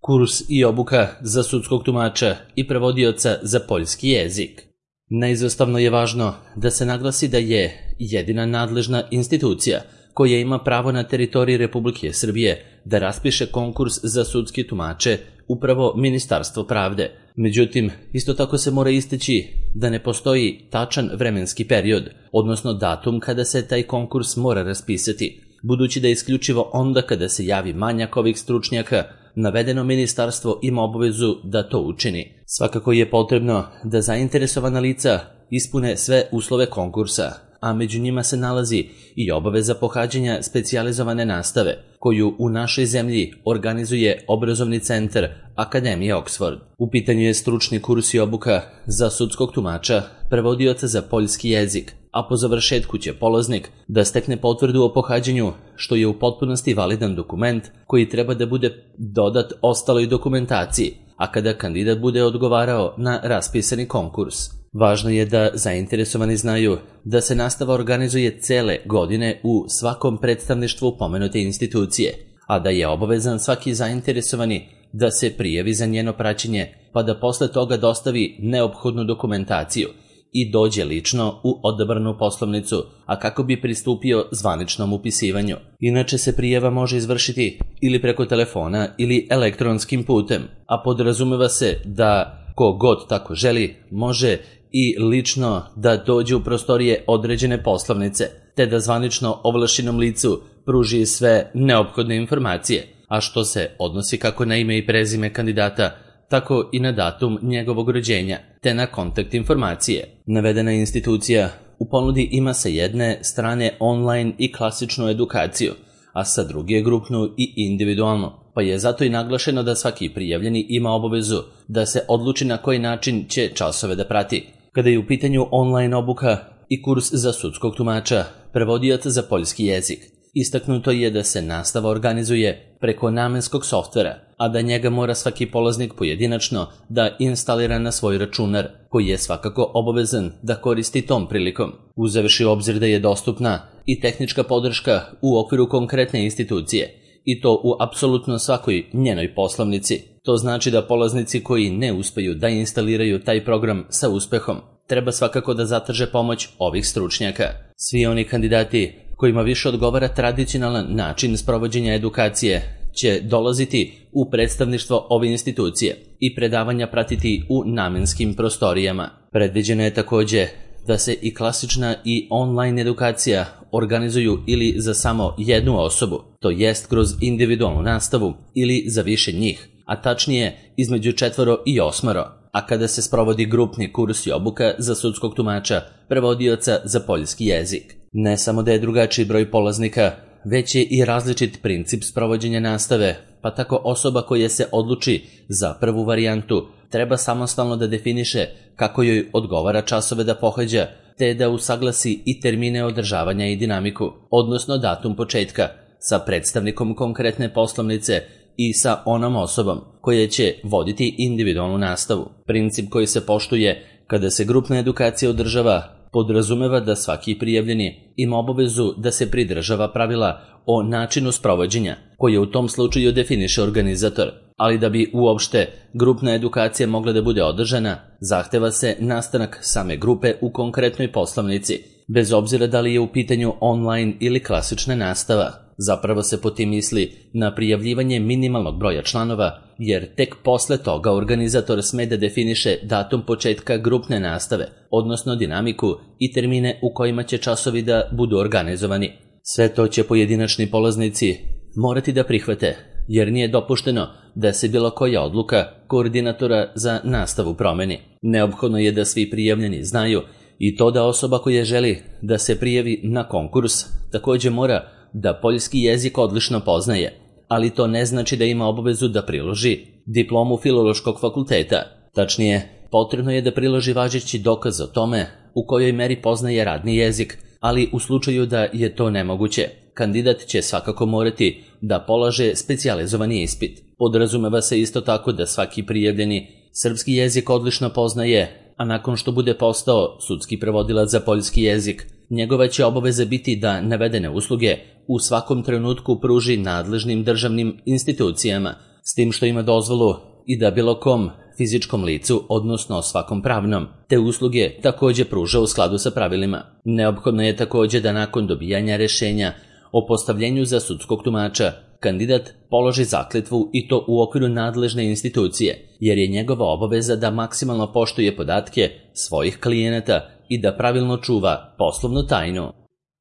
Kurs i obuka za sudskog tumača i prevodioca za poljski jezik. Neizostavno je važno da se naglasi da je jedina nadležna institucija koja ima pravo na teritoriji Republike Srbije da raspiše konkurs za sudske tumače upravo Ministarstvo pravde. Međutim, isto tako se mora istaći da ne postoji tačan vremenski period, odnosno datum kada se taj konkurs mora raspisati, budući da isključivo onda kada se javi manjak ovih stručnjaka, navedeno ministarstvo ima obavezu da to učini. Svakako je potrebno da zainteresovana lica ispune sve uslove konkursa, a među njima se nalazi i obaveza pohađanja specijalizovane nastave, koju u našoj zemlji organizuje obrazovni centar Akademije Oxford. U pitanju je stručni kurs i obuka za sudskog tumača, prevodioca za poljski jezik, a po završetku će polaznik da stekne potvrdu o pohađanju, što je u potpunosti validan dokument koji treba da bude dodat ostaloj dokumentaciji, a kada kandidat bude odgovarao na raspisani konkurs. Važno je da zainteresovani znaju da se nastava organizuje cele godine u svakom predstavništvu pomenute institucije, a da je obavezan svaki zainteresovani da se prijavi za njeno praćenje, pa da posle toga dostavi neophodnu dokumentaciju i dođe lično u odabranu poslovnicu, a kako bi pristupio zvaničnom upisivanju. Inače se prijava može izvršiti ili preko telefona ili elektronskim putem, a podrazumeva se da ko god tako želi može i lično da dođe u prostorije određene poslovnice, te da zvanično ovlašćenom licu pruži sve neophodne informacije, a što se odnosi kako na ime i prezime kandidata, tako i na datum njegovog rođenja, te na kontakt informacije. Navedena institucija u ponudi ima sa jedne strane online i klasičnu edukaciju, a sa druge grupnu i individualnu, pa je zato i naglašeno da svaki prijavljeni ima obavezu da se odluči na koji način će časove da prati. Kada je u pitanju online obuka i kurs za sudskog tumača, prevodioca za poljski jezik, istaknuto je da se nastava organizuje preko namenskog softvera, a da njega mora svaki polaznik pojedinačno da instalira na svoj računar, koji je svakako obavezan da koristi tom prilikom. Uzevši u obzir da je dostupna i tehnička podrška u okviru konkretne institucije, i to u apsolutno svakoj njenoj poslovnici. To znači da polaznici koji ne uspeju da instaliraju taj program sa uspehom, treba svakako da zatraže pomoć ovih stručnjaka. Svi oni kandidati kojima više odgovara tradicionalan način sprovođenja edukacije će dolaziti u predstavništvo ove institucije i predavanja pratiti u namenskim prostorijama. Predviđeno je takođe da se i klasična i online edukacija organizuju ili za samo jednu osobu, to jest kroz individualnu nastavu ili za više njih, a tačnije između 4 i 8, a kada se sprovodi grupni kurs i obuka za sudskog tumača, prevodioca za poljski jezik. Ne samo da je drugačiji broj polaznika, već je i različit princip sprovođenja nastave, pa tako osoba koja se odluči za prvu varijantu treba samostalno da definiše kako joj odgovara časove da pohađa, te da usaglasi i termine održavanja i dinamiku, odnosno datum početka, sa predstavnikom konkretne poslovnice i sa onom osobom koja će voditi individualnu nastavu. Princip koji se poštuje kada se grupna edukacija održava podrazumeva da svaki prijavljeni ima obavezu da se pridržava pravila o načinu sprovođenja, koje u tom slučaju definiše organizator, ali da bi uopšte grupna edukacija mogla da bude održana, zahteva se nastanak same grupe u konkretnoj poslovnici, bez obzira da li je u pitanju online ili klasična nastava. Zapravo se po tim misli na prijavljivanje minimalnog broja članova, jer tek posle toga organizator sme da definiše datum početka grupne nastave, odnosno dinamiku i termine u kojima će časovi da budu organizovani. Sve to će pojedinačni polaznici morati da prihvate, jer nije dopušteno da se bilo koja odluka koordinatora za nastavu promeni. Neophodno je da svi prijavljeni znaju i to da osoba koja želi da se prijavi na konkurs takođe mora da poljski jezik odlično poznaje, ali to ne znači da ima obavezu da priloži diplomu Filološkog fakulteta. Tačnije, potrebno je da priloži važeći dokaz o tome u kojoj meri poznaje radni jezik, ali u slučaju da je to nemoguće, kandidat će svakako morati da polaže specijalizovani ispit. Podrazumeva se isto tako da svaki prijavljeni srpski jezik odlično poznaje, a nakon što bude postao sudski prevodilac za poljski jezik, njegova će obaveza biti da navedene usluge u svakom trenutku pruži nadležnim državnim institucijama s tim što ima dozvolu i da bilo kom fizičkom licu, odnosno svakom pravnom, te usluge takođe pruža u skladu sa pravilima. Neophodno je takođe da nakon dobijanja rešenja o postavljenju za sudskog tumača kandidat položi zakletvu i to u okviru nadležne institucije, jer je njegova obaveza da maksimalno poštuje podatke svojih klijenata i da pravilno čuva poslovnu tajnu.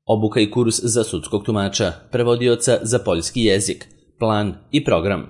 Obuka i kurs za sudskog tumača, prevodioca za poljski jezik, plan i program.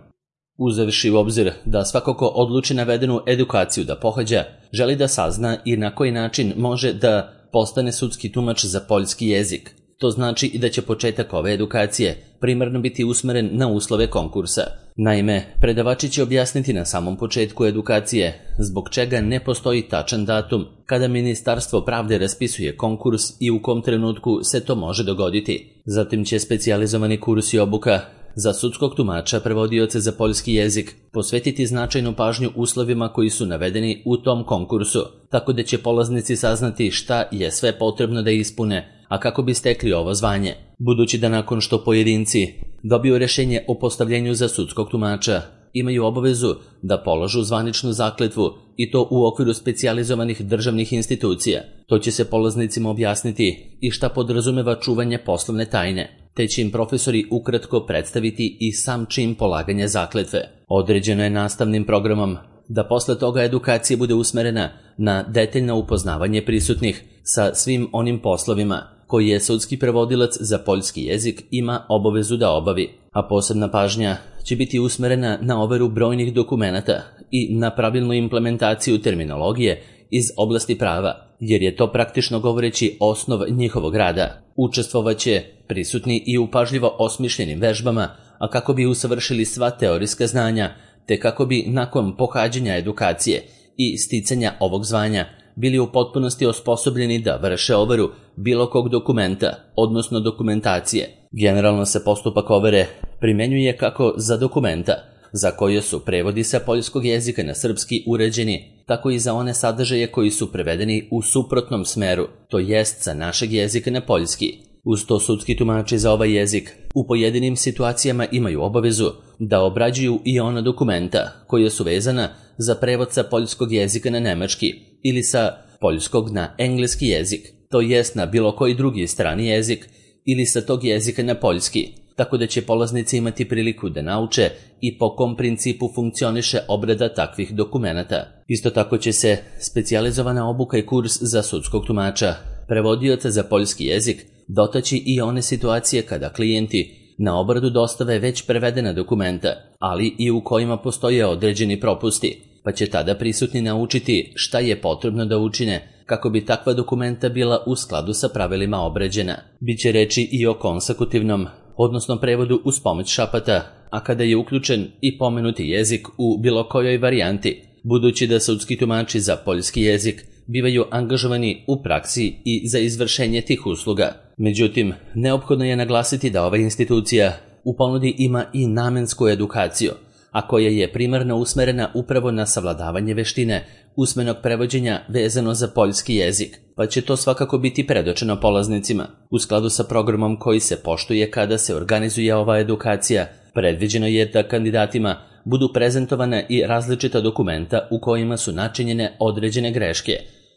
Uzevši u obzir da svako ko odluči navedenu edukaciju da pohađa, želi da sazna i na koji način može da postane sudski tumač za poljski jezik. To znači i da će početak ove edukacije primarno biti usmeren na uslove konkursa. Naime, predavači će objasniti na samom početku edukacije zbog čega ne postoji tačan datum kada Ministarstvo pravde raspisuje konkurs i u kom trenutku se to može dogoditi. Zatim će specijalizovani kurs i obuka za sudskog tumača, prevodioce za poljski jezik, posvetiti značajnu pažnju uslovima koji su navedeni u tom konkursu, tako da će polaznici saznati šta je sve potrebno da ispune, a kako bi stekli ovo zvanje. Budući da nakon što pojedinci dobiju rešenje o postavljenju za sudskog tumača, imaju obavezu da položu zvaničnu zakletvu i to u okviru specijalizovanih državnih institucija. To će se polaznicima objasniti i šta podrazumeva čuvanje poslovne tajne, te će im profesori ukratko predstaviti i sam čin polaganja zakletve. Određeno je nastavnim programom da posle toga edukacija bude usmerena na detaljno upoznavanje prisutnih sa svim onim poslovima koji je sudski prevodilac za poljski jezik ima obavezu da obavi, a posebna pažnja će biti usmerena na overu brojnih dokumenata i na pravilnu implementaciju terminologije iz oblasti prava, jer je to praktično govoreći osnov njihovog rada. Učestvovaće prisutni i u pažljivo osmišljenim vežbama, a kako bi usavršili sva teorijska znanja, te kako bi nakon pohađanja edukacije i sticanja ovog zvanja bili u potpunosti osposobljeni da vrše overu bilo kog dokumenta, odnosno dokumentacije. Generalno se postupak overe primenjuje kako za dokumenta, za koje su prevodi sa poljskog jezika na srpski uređeni, tako i za one sadržaje koji su prevedeni u suprotnom smeru, to jest sa našeg jezika na poljski. Uz to sudski tumači za ovaj jezik u pojedinim situacijama imaju obavezu da obrađuju i ona dokumenta koje su vezana za prevod sa poljskog jezika na nemački ili sa poljskog na engleski jezik, to jest na bilo koji drugi strani jezik ili sa tog jezika na poljski, tako da će polaznici imati priliku da nauče i po kom principu funkcioniše obrada takvih dokumenata. Isto tako će se specijalizovana obuka i kurs za sudskog tumača, prevodioca za poljski jezik, dotaći i one situacije kada klijenti na obradu dostave već prevedena dokumenta, ali i u kojima postoje određeni propusti, pa će tada prisutni naučiti šta je potrebno da učine kako bi takva dokumenta bila u skladu sa pravilima obrađena. Biće reči i o konsekutivnom, odnosno prevodu uz pomoć šapata, a kada je uključen i pomenuti jezik u bilo kojoj varijanti, budući da sudski tumači za poljski jezik bivaju angažovani u praksi i za izvršenje tih usluga. Međutim, neophodno je naglasiti da ova institucija u ponudi ima i namensku edukaciju, a koja je primarno usmerena upravo na savladavanje veštine usmenog prevođenja vezano za poljski jezik, pa će to svakako biti predočeno polaznicima. U skladu sa programom koji se poštuje kada se organizuje ova edukacija, predviđeno je da kandidatima budu prezentovane i različita dokumenta u kojima su načinjene određene greške,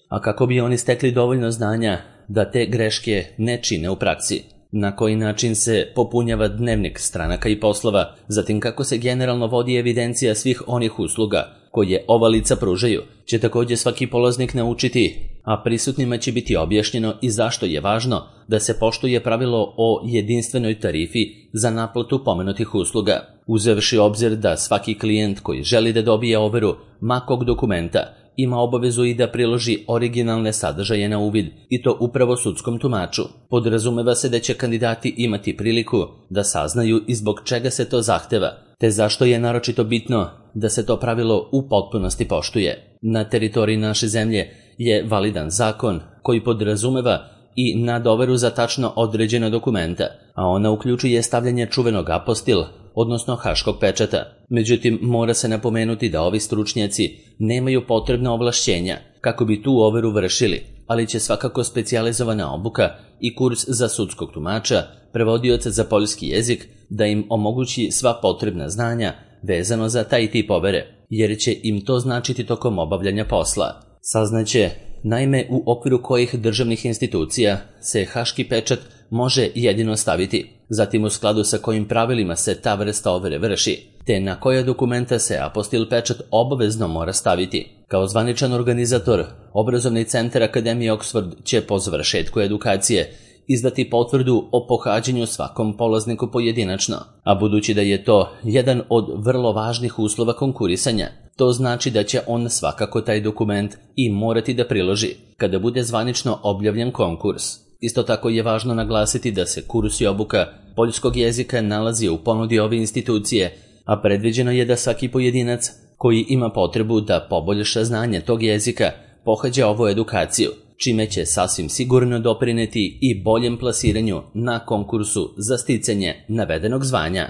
a kako bi oni stekli dovoljno znanja da te greške ne čine u praksi. Na koji način se popunjava dnevnik stranaka i poslova, zatim kako se generalno vodi evidencija svih onih usluga koje ova lica pružaju, će također svaki polaznik naučiti, a prisutnima će biti objašnjeno i zašto je važno da se poštuje pravilo o jedinstvenoj tarifi za naplatu pomenutih usluga. Uzevši obzir da svaki klijent koji želi da dobije overu makog dokumenta ima obavezu i da priloži originalne sadržaje na uvid, i to upravo sudskom tumaču. Podrazumeva se da će kandidati imati priliku da saznaju i zbog čega se to zahteva, te zašto je naročito bitno da se to pravilo u potpunosti poštuje. Na teritoriji naše zemlje je validan zakon koji podrazumeva i nadoveru za tačno određena dokumenta, a ona uključuje stavljanje čuvenog apostil, odnosno haškog pečata. Međutim, mora se napomenuti da ovi stručnjaci nemaju potrebna ovlašćenja kako bi tu overu vršili, ali će svakako specijalizovana obuka i kurs za sudskog tumača, prevodioca za poljski jezik, da im omogući sva potrebna znanja vezano za taj tip overe, jer će im to značiti tokom obavljanja posla. Saznaće, naime, u okviru kojih državnih institucija se haški pečat može jedino staviti, zatim u skladu sa kojim pravilima se ta vrsta overe vrši, te na koja dokumenta se apostil pečat obavezno mora staviti. Kao zvaničan organizator, Obrazovni centar Akademije Oxford će po završetku edukacije izdati potvrdu o pohađanju svakom polazniku pojedinačno, a budući da je to jedan od vrlo važnih uslova konkurisanja, to znači da će on svakako taj dokument i morati da priloži kada bude zvanično objavljen konkurs. Isto tako je važno naglasiti da se kurs i obuka poljskog jezika nalazi u ponudi ove institucije, a predviđeno je da svaki pojedinac koji ima potrebu da poboljša znanje tog jezika pohađa ovu edukaciju, čime će sasvim sigurno doprineti i boljem plasiranju na konkursu za sticanje navedenog zvanja.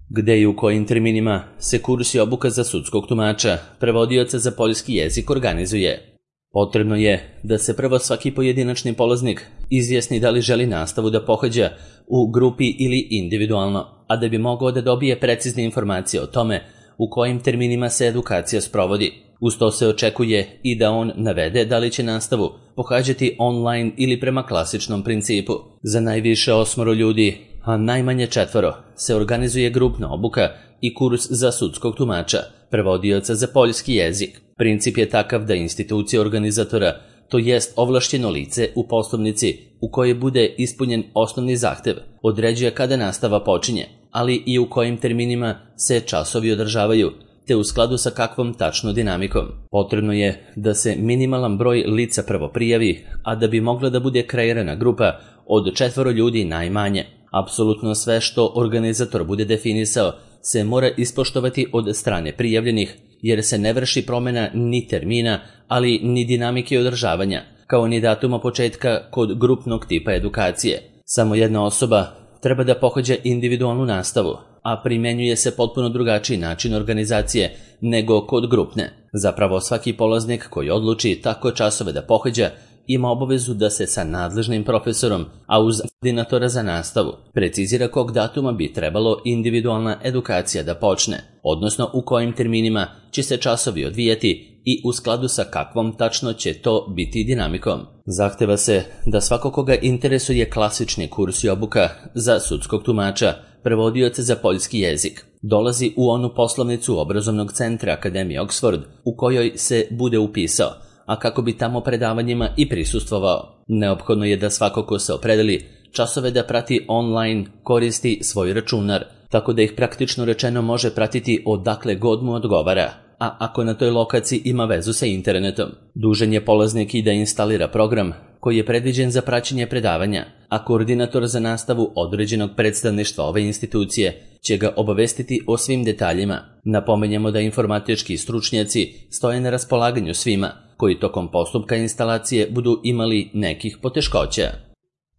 Gde i u kojim terminima se kurs i obuka za sudskog tumača, prevodioca za poljski jezik organizuje? Potrebno je da se prvo svaki pojedinačni polaznik izjasni da li želi nastavu da pohađa u grupi ili individualno, a da bi mogao da dobije precizne informacije o tome u kojim terminima se edukacija sprovodi. Uz to se očekuje i da on navede da li će nastavu pohađati online ili prema klasičnom principu. Za najviše 8 ljudi, a najmanje 4, se organizuje grupna obuka i kurs za sudskog tumača, prevodioca za poljski jezik. Princip je takav da institucija organizatora, to jest ovlašćeno lice u poslovnici u kojoj bude ispunjen osnovni zahtev, određuje kada nastava počinje, ali i u kojim terminima se časovi održavaju, te u skladu sa kakvom tačno dinamikom. Potrebno je da se minimalan broj lica prvo prijavi, a da bi mogla da bude kreirana grupa od 4 ljudi najmanje. Apsolutno sve što organizator bude definisao se mora ispoštovati od strane prijavljenih, jer se ne vrši promjena ni termina, ali ni dinamike održavanja, kao ni datuma početka kod grupnog tipa edukacije. Samo jedna osoba treba da pohađa individualnu nastavu, a primenjuje se potpuno drugačiji način organizacije nego kod grupne. Zapravo svaki polaznik koji odluči tako časove da pohađa ima obavezu da se sa nadležnim profesorom, a uz koordinatora za nastavu, precizira kog datuma bi trebalo individualna edukacija da počne, odnosno u kojim terminima će se časovi odvijati i u skladu sa kakvom tačno će to biti dinamikom. Zahteva se da svako koga interesuje klasični kurs i obuka za sudskog tumača, prevodioca za poljski jezik, dolazi u onu poslovnicu Obrazovnog centra Akademije Oxford u kojoj se bude upisao, a kako bi tamo predavanjima i prisustvovao. Neophodno je da svako ko se opredeli časove da prati online koristi svoj računar, tako da ih praktično rečeno može pratiti odakle god mu odgovara, a ako na toj lokaciji ima vezu sa internetom. Dužan je polaznik i da instalira program koji je predviđen za praćenje predavanja, a koordinator za nastavu određenog predstavništva ove institucije će ga obavestiti o svim detaljima. Napomenjemo da informatički stručnjaci stoje na raspolaganju svima koji tokom postupka instalacije budu imali nekih poteškoća.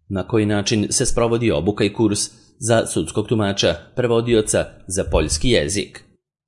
Na koji način se sprovodi obuka i kurs za sudskog tumača, prevodioca za poljski jezik?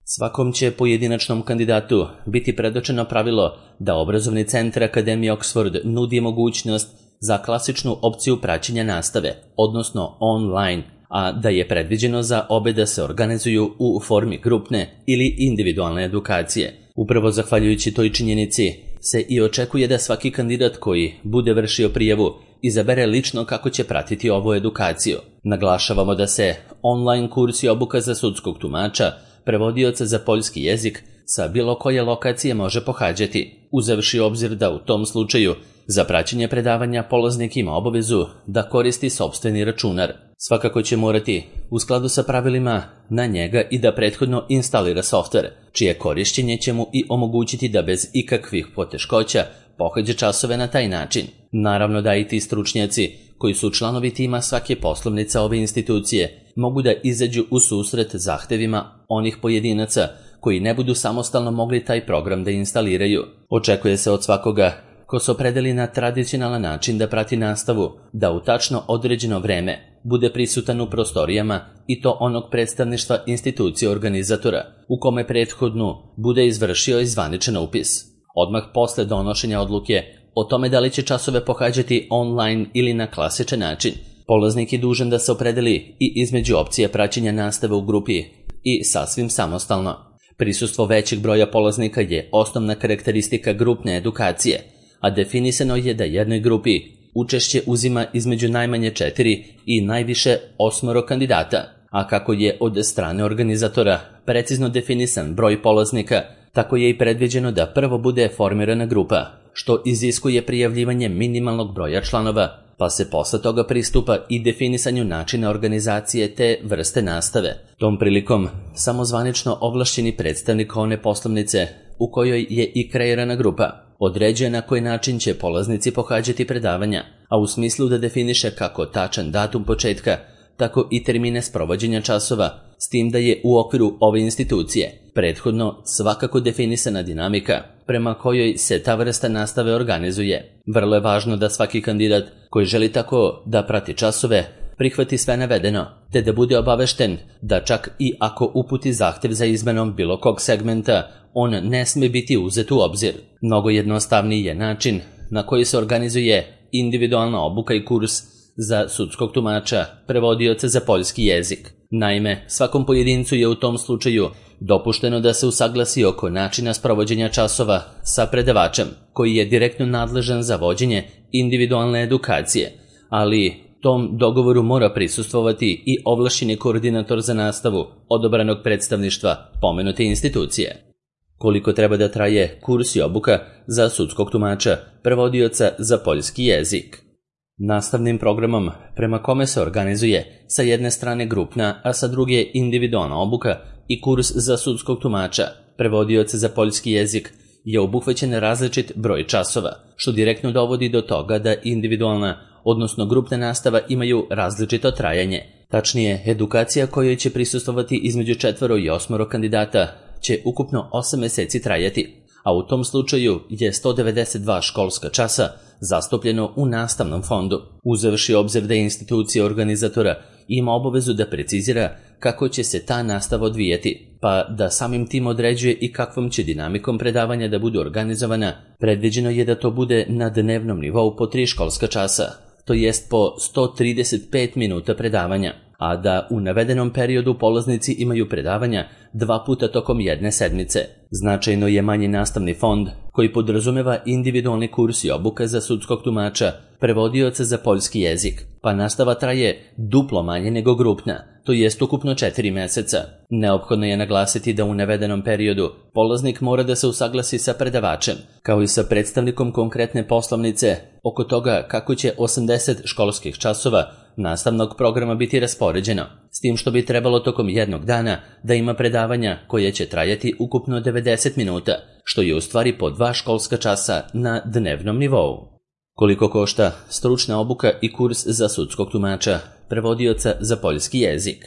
Svakom će pojedinačnom kandidatu biti predočeno pravilo da Obrazovni centar Akademije Oxford nudi mogućnost za klasičnu opciju praćenja nastave, odnosno online, a da je predviđeno za obe da se organizuju u formi grupne ili individualne edukacije. Upravo zahvaljujući toj činjenici se i očekuje da svaki kandidat koji bude vršio prijavu izabere lično kako će pratiti ovu edukaciju. Naglašavamo da se online kurs i obuka za sudskog tumača, prevodioca za poljski jezik, sa bilo koje lokacije može pohađati, uzevši obzir da u tom slučaju za praćenje predavanja polaznik ima obavezu da koristi sopstveni računar. Svakako će morati, u skladu sa pravilima, na njega i da prethodno instalira softver, čije korišćenje će mu i omogućiti da bez ikakvih poteškoća pohađa časove na taj način. Naravno da i ti stručnjaci, koji su članovi tima svake poslovnice ove institucije, mogu da izađu u susret zahtevima onih pojedinaca koji ne budu samostalno mogli taj program da instaliraju. Očekuje se od svakoga ko se opredeli na tradicionalan način da prati nastavu, da u tačno određeno vreme bude prisutan u prostorijama i to onog predstavništva institucije organizatora, u kome prethodnu bude izvršio i zvaničan upis. Odmah posle donošenja odluke o tome da li će časove pohađati online ili na klasičan način, polaznik je dužan da se opredeli i između opcije praćenja nastave u grupi i sasvim samostalno. Prisustvo većeg broja polaznika je osnovna karakteristika grupne edukacije, a definisano je da jednoj grupi učešće uzima između najmanje 4 i najviše 8 kandidata, a kako je od strane organizatora precizno definisan broj polaznika, tako je i predviđeno da prvo bude formirana grupa, što iziskuje prijavljivanje minimalnog broja članova, pa se posle toga pristupa i definisanju načina organizacije te vrste nastave. Tom prilikom samozvanično ovlašćeni predstavnik one poslovnice u kojoj je i kreirana grupa određuje na koji način će polaznici pohađati predavanja, a u smislu da definiše kako tačan datum početka, tako i termine sprovođenja časova, s tim da je u okviru ove institucije prethodno svakako definisana dinamika prema kojoj se ta vrsta nastave organizuje. Vrlo je važno da svaki kandidat koji želi tako da prati časove prihvati sve navedeno, te da bude obavešten da čak i ako uputi zahtev za izmenom bilo kog segmenta, on ne sme biti uzet u obzir. Mnogo jednostavniji je način na koji se organizuje individualna obuka i kurs za sudskog tumača, prevodioca za poljski jezik. Naime, svakom pojedincu je u tom slučaju dopušteno da se usaglasi oko načina sprovođenja časova sa predavačem, koji je direktno nadležan za vođenje individualne edukacije, ali tom dogovoru mora prisustvovati i ovlašćeni koordinator za nastavu odabranog predstavništva pomenute institucije. Koliko treba da traje kurs i obuka za sudskog tumača, prevodioca za poljski jezik? Nastavnim programom prema kome se organizuje sa jedne strane grupna, a sa druge individualna obuka i kurs za sudskog tumača, prevodioca za poljski jezik, je obuhvaćen različit broj časova, što direktno dovodi do toga da individualna, odnosno grupna nastava imaju različito trajanje. Tačnije, edukacija kojoj će prisustvovati između 4 i 8 kandidata će ukupno 8 meseci trajati, a u tom slučaju je 192 školska časa zastupljeno u nastavnom fondu, uzevši obzir da institucija organizatora ima obavezu da precizira kako će se ta nastava odvijati, pa da samim tim određuje i kakvom će dinamikom predavanja da bude organizovana. Predviđeno je da to bude na dnevnom nivou po 3 školska časa, to jest po 135 minuta predavanja, a da u navedenom periodu polaznici imaju predavanja 2 puta tokom jedne sedmice. Značajno je manji nastavni fond koji podrazumeva individualni kurs i obuka za sudskog tumača, prevodioca za poljski jezik, pa nastava traje duplo manje nego grupna, to jest ukupno 4 meseca. Neophodno je naglasiti da u navedenom periodu polaznik mora da se usaglasi sa predavačem, kao i sa predstavnikom konkretne poslovnice oko toga kako će 80 školskih časova nastavnog programa biti raspoređeno, s tim što bi trebalo tokom jednog dana da ima predavanja koje će trajati ukupno 90 minuta, što je u stvari po 2 školska časa na dnevnom nivou. Koliko košta stručna obuka i kurs za sudskog tumača, prevodioca za poljski jezik?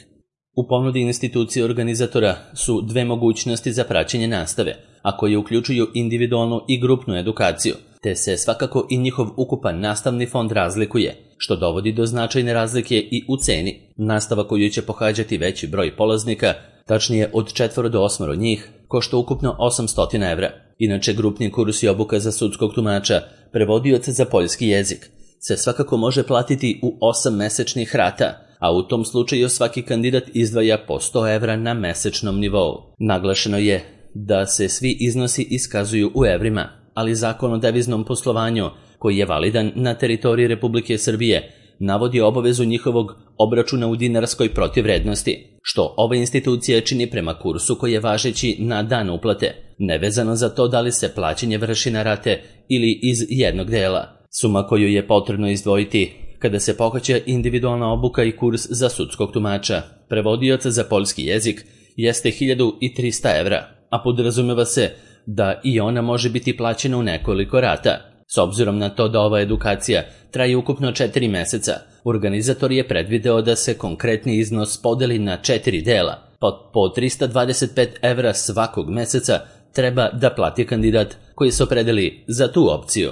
U ponudi institucije organizatora su 2 mogućnosti za praćenje nastave, a koje uključuju individualnu i grupnu edukaciju, te se svakako i njihov ukupan nastavni fond razlikuje, što dovodi do značajne razlike i u ceni. Nastava koju će pohađati veći broj polaznika, tačnije od 4 do 8 njih, košta ukupno 800 evra. Inače, grupni kurs i obuka za sudskog tumača, prevodioca za poljski jezik, se svakako može platiti u 8 mesečnih rata, a u tom slučaju svaki kandidat izdvaja po 100 evra na mesečnom nivou. Naglašeno je da se svi iznosi iskazuju u evrima, ali Zakon o deviznom poslovanju, koji je validan na teritoriji Republike Srbije, navodi obavezu njihovog obračuna u dinarskoj protivvrednosti, što ova institucija čini prema kursu koji je važeći na dan uplate, nevezano za to da li se plaćanje vrši na rate ili iz jednog dela. Suma koju je potrebno izdvojiti kada se pohađa individualna obuka i kurs za sudskog tumača, prevodioca za poljski jezik, jeste 1300 evra, a podrazumeva se da i ona može biti plaćena u nekoliko rata. S obzirom na to da ova edukacija traje ukupno 4 meseca, organizator je predvideo da se konkretni iznos podeli na 4 dela, pa po 325 evra svakog meseca treba da plati kandidat koji se opredeli za tu opciju.